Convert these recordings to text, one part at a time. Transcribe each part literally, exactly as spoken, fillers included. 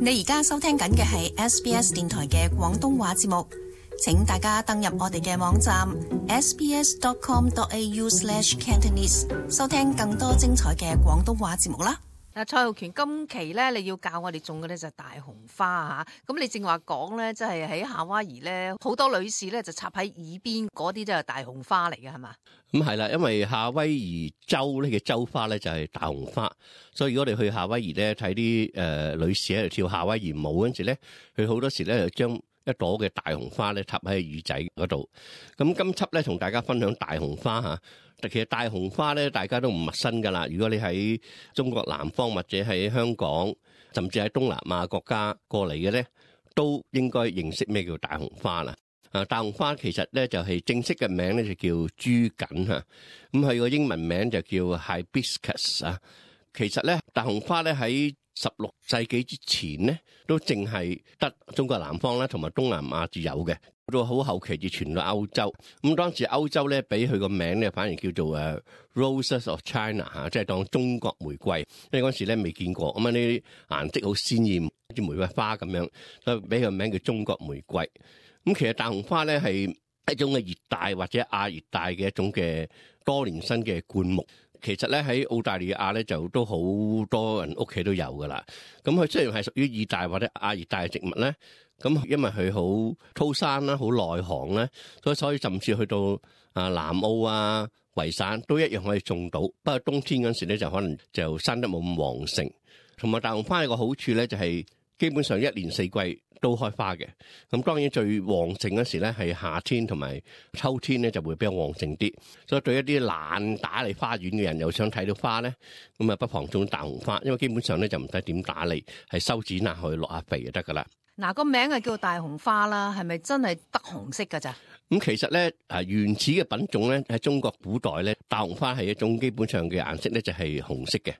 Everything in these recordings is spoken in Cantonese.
你而家收聽緊嘅係 S B S 電台嘅廣東話節目，請大家登入我哋嘅網站 s b s dot com dot a u slash cantonese 收聽更多精彩嘅廣東話節目啦。嗱，蔡浩權，今期咧你要教我哋種嘅咧就係大紅花嚇，咁你正話講咧，即係喺夏威夷咧，好多女士咧就插喺耳邊嗰啲都係大紅花嚟嘅，係嘛？咁係啦，因為夏威夷州呢嘅州花咧就係大紅花，所以如果我哋去夏威夷咧睇啲誒女士喺度跳夏威夷舞嗰陣時咧，佢好多時咧就將一朵嘅大紅花咧插喺耳仔嗰度。咁今輯咧同大家分享大紅花嚇。其實大紅花咧，大家都唔陌生噶啦。如果你喺中國南方或者喺香港，甚至喺東南亞國家過嚟嘅咧，都應該認識咩叫大紅花啦。啊，大紅花其實咧就係正式嘅名咧就叫朱槿嚇，咁佢個英文名就叫 Hibiscus 啊。其實咧，大紅花咧喺十六世紀之前咧，都淨係得中國南方咧同埋東南亞至有嘅。到好後期至傳到歐洲，咁當時歐洲咧俾佢個名咧反而叫做誒 Roses of China 嚇，即係當中國玫瑰，因為嗰時咧未見過，咁啊呢啲顏色好鮮豔，好似玫瑰花咁樣，所以俾佢個名叫中國玫瑰。咁其實大紅花咧係一種嘅熱帶或者亞熱帶嘅一種嘅多年生嘅灌木。其實咧喺澳大利亞咧就都好多人屋企都有噶啦。咁佢雖然係屬於熱帶或者亞熱帶嘅植物咧，咁因為佢好高山啦、好耐寒啦，所以所以甚至去到啊南澳啊、維省都一樣可以種到。不過冬天嗰時咧就可能就生得冇咁旺盛。同埋大紅花有個好處咧就係基本上一年四季都開花嘅。咁當然最旺盛嗰時咧係夏天同埋秋天咧就會比較旺盛啲。所以對一啲懶打理花園嘅人又想睇到花咧，咁啊不妨種大紅花，因為基本上咧就唔使點打理，係修剪下去落下肥就得噶啦。嗱，個名係叫大紅花啦，係咪真係得紅色噶咋？咁其實咧，啊原始嘅品種咧喺中國古代咧，大紅花係一種基本上嘅顏色咧就係紅色嘅。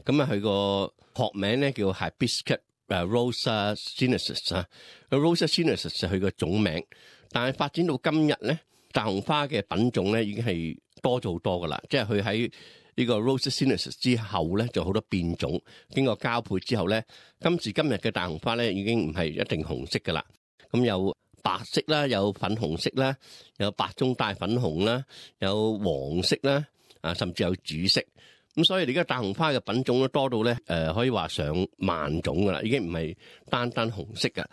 咁啊，佢個學名咧叫 Hibiscus Rosa Sinensis 啊 ，Rosa Sinensis 係佢個種名。但係發展到今日咧，大紅花嘅品種咧已經係多咗好多噶啦，即係佢喺呢個 Rosa Sinensis 之後咧，就好多變種，經過交配之後咧，今時今日嘅大紅花咧已經唔係一定紅色噶啦。咁有白色啦，有粉紅色啦，有白中帶粉紅啦，有黃色啦，啊甚至有紫色。咁所以而家大紅花嘅品種都多到咧，誒可以話上萬種噶啦，已經唔係單單紅色噶。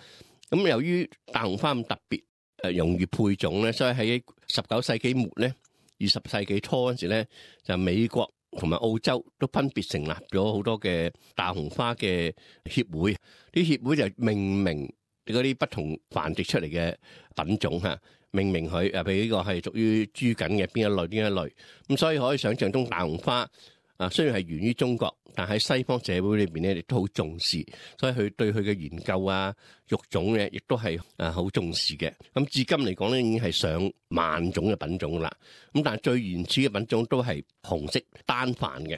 咁由於大紅花咁特別，誒容易配種咧，所以喺十九世紀末咧，二十世紀初嗰時咧，就美國同埋澳洲都分別成立咗好多嘅大紅花嘅協會，啲協會就命名嗰啲不同繁殖出嚟嘅品種嚇，命名佢誒，譬如呢個係屬於朱槿嘅邊一類邊一類，咁所以可以想象中大紅花啊，雖然係源於中國，但喺西方社會裏邊咧，亦都好重視，所以佢對佢嘅研究啊、育種咧，亦都係誒好重視嘅。咁至今嚟講咧，已經係上萬種嘅品種啦。咁但係最原始嘅品種都係紅色單瓣嘅。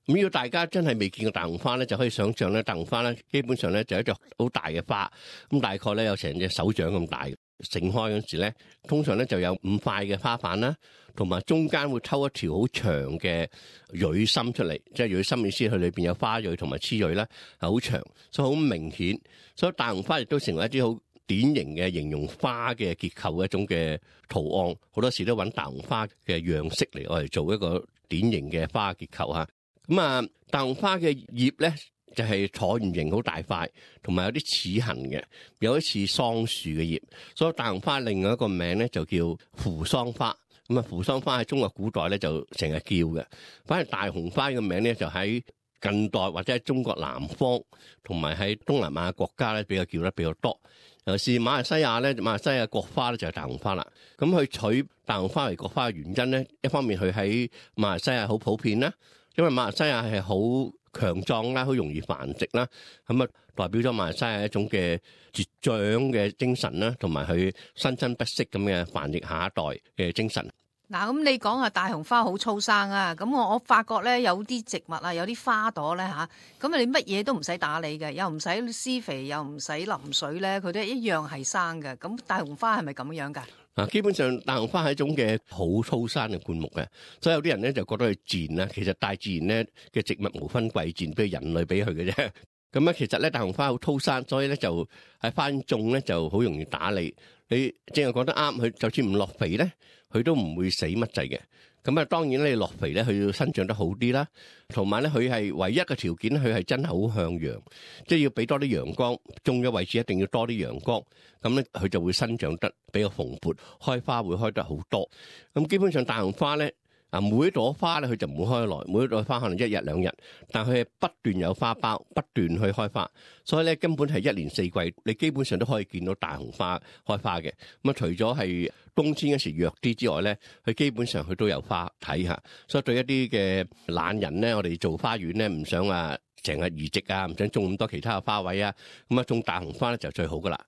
咁如果大家真係未見過大紅花咧，就可以想象咧，大紅花咧基本上咧就係一隻好大嘅花，咁大概咧有成隻手掌咁大嘅。盛開嗰時咧，通常咧就有五塊嘅花瓣啦，同埋中間會抽一條好長嘅蕊心出嚟，即係蕊心意思佢裏邊有花蕊同埋雌蕊啦，係好長，所以好明顯。所以大紅花亦都成為一啲好典型嘅形容花嘅結構嘅一種嘅圖案，好多時都揾大紅花嘅樣式嚟我嚟做一個典型嘅花結構嚇。咁啊，大紅花嘅葉咧，就係橢圓形好大塊，同埋有啲齒痕嘅，有啲似桑樹嘅葉，所以大紅花另外一個名咧就叫扶桑花。咁啊，扶桑花喺中國古代咧就成日叫嘅，反而大紅花嘅名咧就喺近代或者喺中國南方同埋喺東南亞國家咧比較叫得比較多。尤其是馬來西亞咧，馬來西亞國花咧就係大紅花啦。咁佢取大紅花為國花嘅原因咧，一方面佢喺馬來西亞好普遍啦，因為馬來西亞係好強壯啦，好容易繁殖啦，咁啊代表咗馬來西亞一種嘅茁長嘅精神啦，同埋佢生生不息咁嘅繁殖下一代嘅精神。嗱，咁你講下大紅花好粗生啊，咁我我發覺咧有啲植物啊，有啲花朵咧吓，咁啊你乜嘢都唔使打理嘅，又唔使施肥，又唔使淋水咧，佢都一樣係生嘅。咁大紅花係咪咁樣噶？啊，基本上大紅花係一種嘅好粗生嘅灌木嘅，所以有啲人咧就覺得佢賤啦。其實大自然咧嘅植物無分貴賤，俾人類俾佢嘅啫。咁啊，其實咧大紅花好粗生，所以咧就喺花園種咧就好容易打理。你正係講得啱，佢就算唔落肥咧，佢都唔會死乜滯嘅。咁啊，當然你落肥咧，佢要生長得好啲啦。同埋咧，佢係唯一嘅條件，佢係真係好向陽，即係要俾多啲陽光。種嘅位置一定要多啲陽光，咁咧佢就會生長得比較蓬勃，開花會開得好多。咁基本上大紅花咧，啊每一朵花咧佢就唔會開來，每一朵花可能一日兩日，但佢係不斷有花苞，不斷去開花，所以咧根本係一年四季，你基本上都可以見到大紅花開花嘅。咁啊，除咗係冬天嗰時弱啲之外咧，佢基本上佢都有花睇下。所以對一啲嘅懶人咧，我哋做花園咧，唔想話成日移植啊，唔想種咁多其他嘅花位啊，咁啊種大紅花咧就最好噶啦。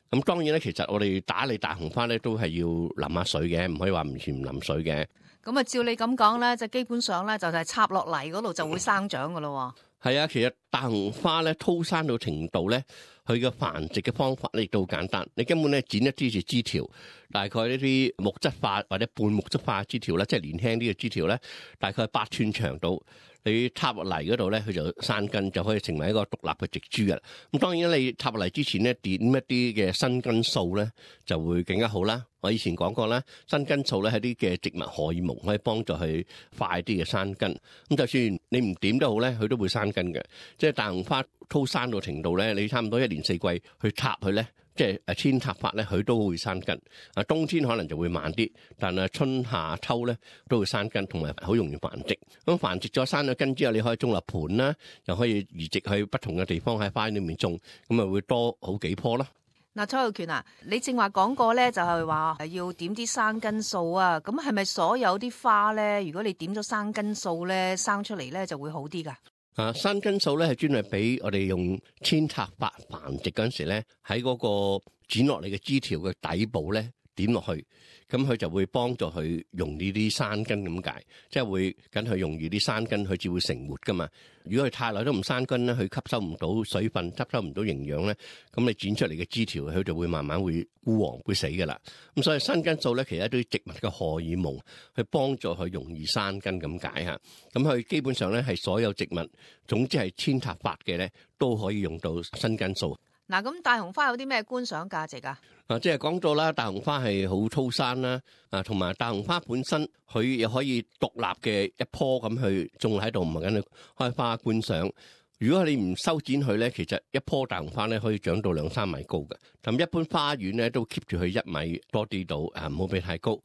咁當然咧，其實我哋打理大紅花咧都係要淋下水嘅，唔可以話完全唔淋水嘅。咁啊，照你咁講咧，就基本上咧就係插落嚟嗰度就會生長噶咯。係啊，其實大紅花咧粗生到程度咧，佢嘅繁殖嘅方法咧亦都好簡單。你根本咧剪一啲嘅枝條，大概呢啲木質化或者半木質化嘅枝條咧，即係年輕啲嘅枝條咧，大概八寸長度。你插落嚟嗰度咧，佢就生根，就可以成為一個獨立嘅植株嘅。咁當然你插落嚟之前咧，點一啲嘅生根素咧，就會更加好啦。我以前講過啦，生根素咧係啲嘅植物荷爾蒙，可以幫助佢快啲嘅生根。咁就算你唔點都好咧，佢都會生根嘅。即係大紅花粗生到程度咧，你差唔多一年四季去插佢咧，即係誒扦插法咧，佢都會生根。啊，冬天可能就會慢啲，但係春夏秋咧都會生根，同埋好容易繁殖。咁繁殖咗生咗根之後，你可以種落盆啦，又可以移植去不同嘅地方喺花園裏面種，咁啊會多好幾棵啦。嗱，蔡浩權啊，你正話講過咧，就係話要點啲生根素啊。咁係咪所有啲花咧，如果你點咗生根素咧，生出嚟咧就會好啲噶？啊，生根素咧係專係俾我哋用扦插法繁殖嗰陣時咧，喺嗰個剪落嚟嘅枝條嘅底部咧點落去，咁佢就會幫助佢容易啲生根咁解，即係會緊佢容易啲生根，佢至會成活噶嘛。如果佢太耐都唔生根咧，佢吸收唔到水分，吸收唔到營養咧，咁你剪出嚟嘅枝條佢就會慢慢會枯黃會死噶啦。咁所以生根素咧，其實都係植物嘅荷爾蒙，去幫助佢容易生根咁解嚇。咁佢基本上咧係所有植物，總之係扦插法嘅咧，都可以用到生根素。嗱，咁大紅花有啲咩觀賞價值啊？啊，即係講到啦，大紅花係好粗生啦，啊，同埋大紅花本身佢又可以獨立嘅一棵咁去種喺度，唔係緊去開花觀賞。如果你唔修剪佢咧，其實一棵大紅花咧可以長到兩三米高嘅。咁一般花園咧都 keep 住佢一米多啲度，啊，唔好俾太高。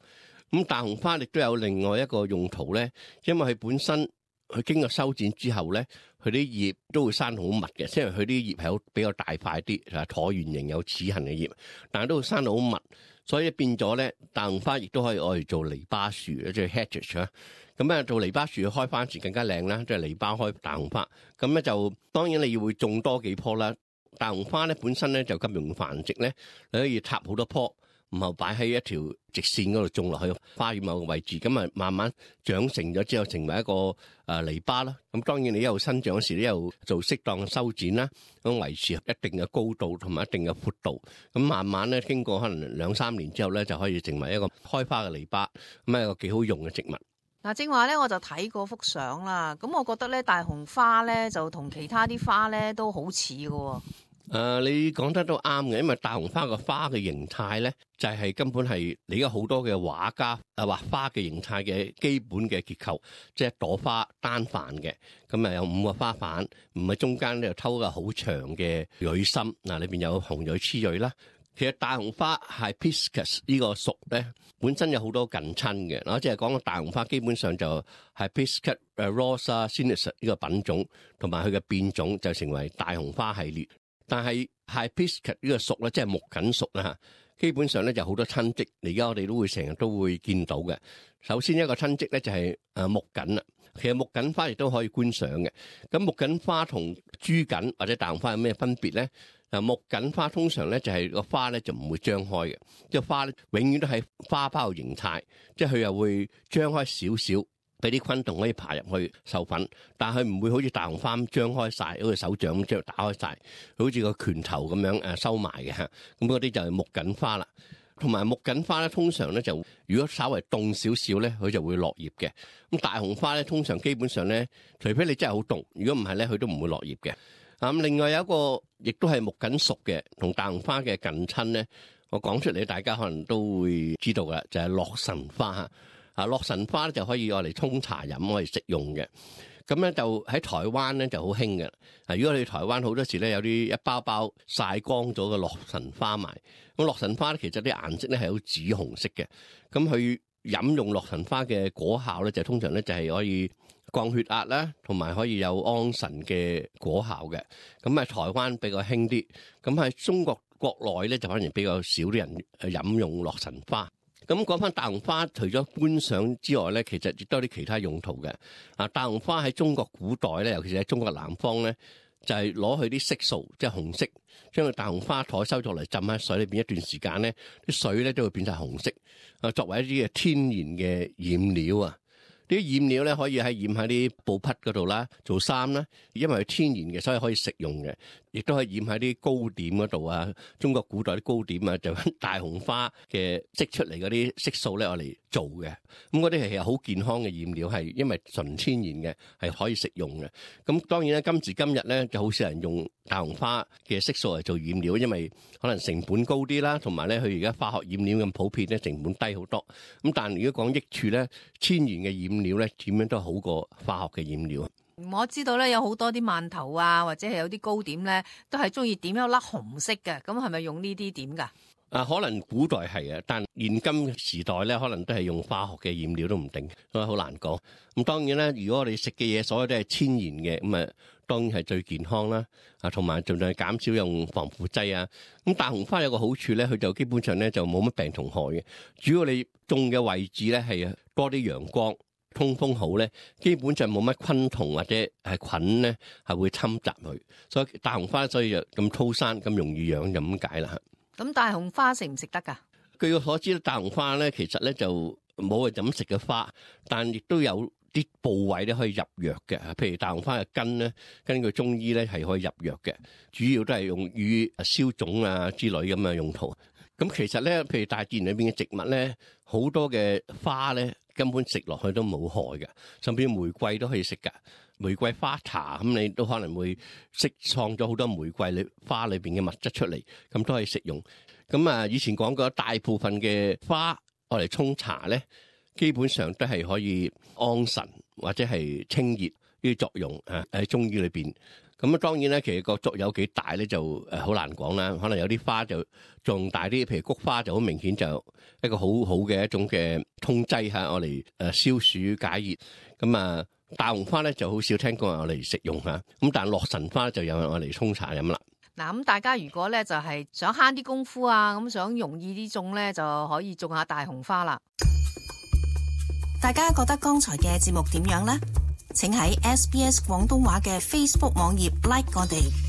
咁大紅花亦都有另外一個用途咧，因為佢本身佢經過修剪之後咧，佢啲葉都會生好密嘅，即係佢啲葉係好比較大塊啲，係橢圓形有齒痕嘅葉，但係都會生到好密，所以變咗咧，大紅花亦都可以愛嚟做籬笆樹，即係 hedge 啊。咁啊，做籬笆樹開花時更加靚啦，即係籬笆開大紅花。咁咧就當然你要會種多幾棵啦。大紅花咧本身咧就咁容易繁殖咧，你可以插好多棵。然後擺喺一條直線嗰度種落去花園某個位置，咁啊慢慢長成咗之後，成為一個誒籬笆啦。咁當然你一路生長時，你一路做適當嘅修剪啦，咁維持一定嘅高度同埋一定嘅闊度。咁慢慢咧，經過可能兩三年之後咧，就可以成為一個開花嘅籬笆，咁係一個幾好用嘅植物。嗱，正話咧，我就睇過幅相啦。咁我覺得咧，大紅花咧就同其他啲花咧都好似嘅。誒、呃，你講得都啱嘅，因為大紅花個花嘅形態咧，就係、是、根本係你而家好多嘅畫家誒畫花嘅形態嘅基本嘅結構，即係朵花單瓣嘅，咁啊有五個花瓣，唔係中間咧又抽個好長嘅蕊心，嗱裏邊有紅蕊、雌蕊啦。其實大紅花係 Hibiscus 呢個屬咧，本身有好多近親嘅，我即係講大紅花基本上就係 Hibiscus rosa sinensis 呢個品種，同埋佢嘅變種就成為大紅花系列。但係 Hibiscus 呢個屬咧，即係木槿屬啦嚇，基本上咧就好多親戚，而家我哋都會成日都會見到嘅。首先一個親戚咧就係誒木槿啦，其實木槿花亦都可以觀賞嘅。咁木槿花同珠槿或者大紅花有咩分別咧？嗱，木槿花通常咧就係個花咧就唔會張開嘅，即係花咧永遠都係花苞形態，即係佢又會張開少少。俾啲昆蟲可以爬入去授粉，但係佢唔會好似大紅花咁張開晒，好似手掌咁將打開晒，好似個拳頭咁樣誒收埋嘅嚇。咁嗰啲就係木槿花啦。同埋木槿花咧，通常咧就如果稍微凍少少咧，佢就會落葉嘅。咁大紅花咧，通常基本上咧，除非你真係好凍，如果唔係咧，佢都唔會落葉嘅。咁另外有一個亦都係木槿屬嘅，同大紅花嘅近親咧，我講出嚟大家可能都會知道噶，就係洛神花嚇。啊，洛神花咧就可以攞嚟沖茶飲，可以食用嘅。咁咧就喺台灣咧就好興嘅。啊，如果你去台灣好多時咧有啲一包包曬乾咗嘅洛神花賣。咁洛神花咧其實啲顏色咧係好紫紅色嘅。咁佢飲用洛神花嘅果效咧就通常咧就係可以降血壓啦，同埋可以有安神嘅果效嘅。咁喺台灣比較興啲。咁喺中國國內咧就反而比較少啲人飲用洛神花。咁講翻大紅花，除咗觀賞之外咧，其實亦都有啲其他用途嘅。啊，大紅花喺中國古代咧，尤其是喺中國南方咧，就係攞佢啲色素，即係紅色，將個大紅花採收咗嚟浸喺水裏邊一段時間咧，啲水咧都會變晒紅色。啊，作為一啲嘅天然嘅染料啊，啲染料咧可以喺染喺啲布匹嗰度啦，做衫啦，因為係天然嘅，所以可以食用嘅。亦都可以染喺啲糕點嗰度啊！中國古代啲糕點啊，就揾大紅花嘅積出嚟嗰啲色素咧，我嚟做嘅。咁嗰啲係好健康嘅染料，係因為純天然嘅，係可以食用嘅。咁當然咧，今時今日咧就好少人用大紅花嘅色素嚟做染料，因為可能成本高啲啦，同埋咧佢而家化學染料咁普遍咧，成本低好多。咁但係如果講益處咧，天然嘅染料咧點樣都好過化學嘅染料。我知道咧有好多啲饅頭啊，或者係有啲糕點咧，都係中意點一粒紅色嘅。咁係咪用呢啲點㗎？啊，可能古代係啊，但現今時代咧，可能都係用化學嘅染料都唔定，所以好難講。咁當然咧，如果我哋食嘅嘢所有都係天然嘅，咁啊當然係最健康啦。啊，同埋盡量減少用防腐劑啊。咁大紅花有個好處咧，佢就基本上咧就冇乜病蟲害嘅。主要你種嘅位置咧係多啲陽光。通風好咧，基本上冇乜昆蟲或者係菌咧係會侵襲佢，所以大紅花所以就咁粗生咁容易養就咁解啦。咁大紅花食唔食得㗎？據我所知，大紅花咧其實咧就冇係咁食嘅花，但亦都有啲部位咧可以入藥嘅。譬如大紅花嘅根咧，根據中醫咧係可以入藥嘅，主要都係用於消腫啊之類咁嘅用途。咁其實咧，譬如大自然裏邊嘅植物咧，好多嘅花咧根本食落去都冇害嘅，甚至玫瑰都可以食噶。玫瑰花茶咁，你都可能會釋放咗好多玫瑰裏花裏邊嘅物質出嚟，咁都可以食用。咁啊，以前講過大部分嘅花我嚟沖茶咧，基本上都係可以安神或者係清熱呢啲作用啊，喺中醫裏邊。咁啊，當然咧，其實個作用有幾大咧，就誒好難講啦。可能有啲花就仲大啲，譬如菊花就好明顯就一個好好嘅一種嘅通劑嚇，我嚟誒消暑解熱。咁啊，大紅花咧就好少聽講我嚟食用嚇。咁但係洛神花就有人我嚟沖茶飲啦。嗱，咁大家如果咧就係想慳啲功夫啊，咁想容易啲種咧，就可以種下大紅花啦。大家覺得剛才嘅節目點樣呢？請喺 S B S 廣東話嘅 Facebook 網頁 like 我哋。